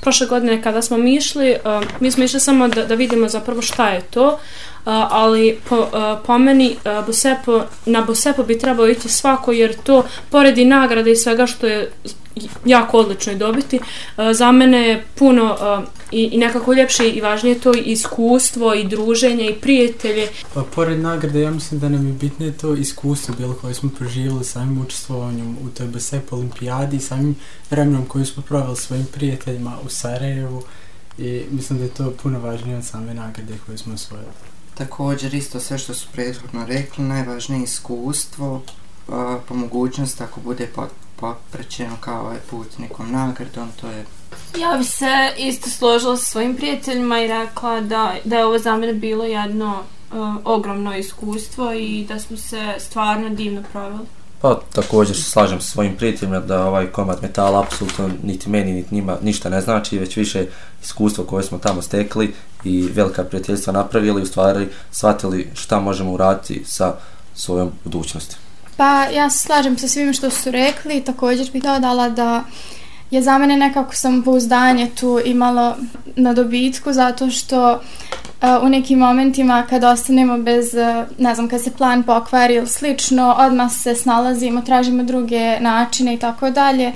prošle godine kada smo mi smo išli samo da vidimo zapravo šta je to, ali po meni na Bosepo bi trebao ići svako, jer to pored i nagrade i svega što je jako odlično i dobiti, za mene je puno i nekako ljepše i važnije to iskustvo i druženje i prijatelje. Pa pored nagrade ja mislim da nam je bitnije to iskustvo bilo koje smo proživjeli samim učestvovanjem u toj Bosepo olimpijadi i samim vremenom koju smo proveli svojim prijateljima u Sarajevu, i mislim da je to puno važnije od same nagrade koje smo osvojili. Također isto sve što su prethodno rekli, najvažnije iskustvo, po mogućnosti ako bude poprećeno kao ovaj put nekom nagradom, to je... Ja bi se isto složila sa svojim prijateljima i rekla da je ovo za mene bilo jedno ogromno iskustvo i da smo se stvarno divno proveli. Pa također se slažem sa svojim prijateljima da ovaj komad metala apsolutno niti meni niti njima ništa ne znači, već više iskustvo koje smo tamo stekli i velika prijateljstva napravili, u stvari shvatili šta možemo uraditi sa svojom budućnosti. Pa ja se slažem sa svim što su rekli, također bih dodala da je za mene nekako samopouzdanje tu imalo na dobitku, zato što u nekim momentima kad ostanemo bez, ne znam, kad se plan pokvari ili slično, odmah se snalazimo, tražimo druge načine i tako dalje.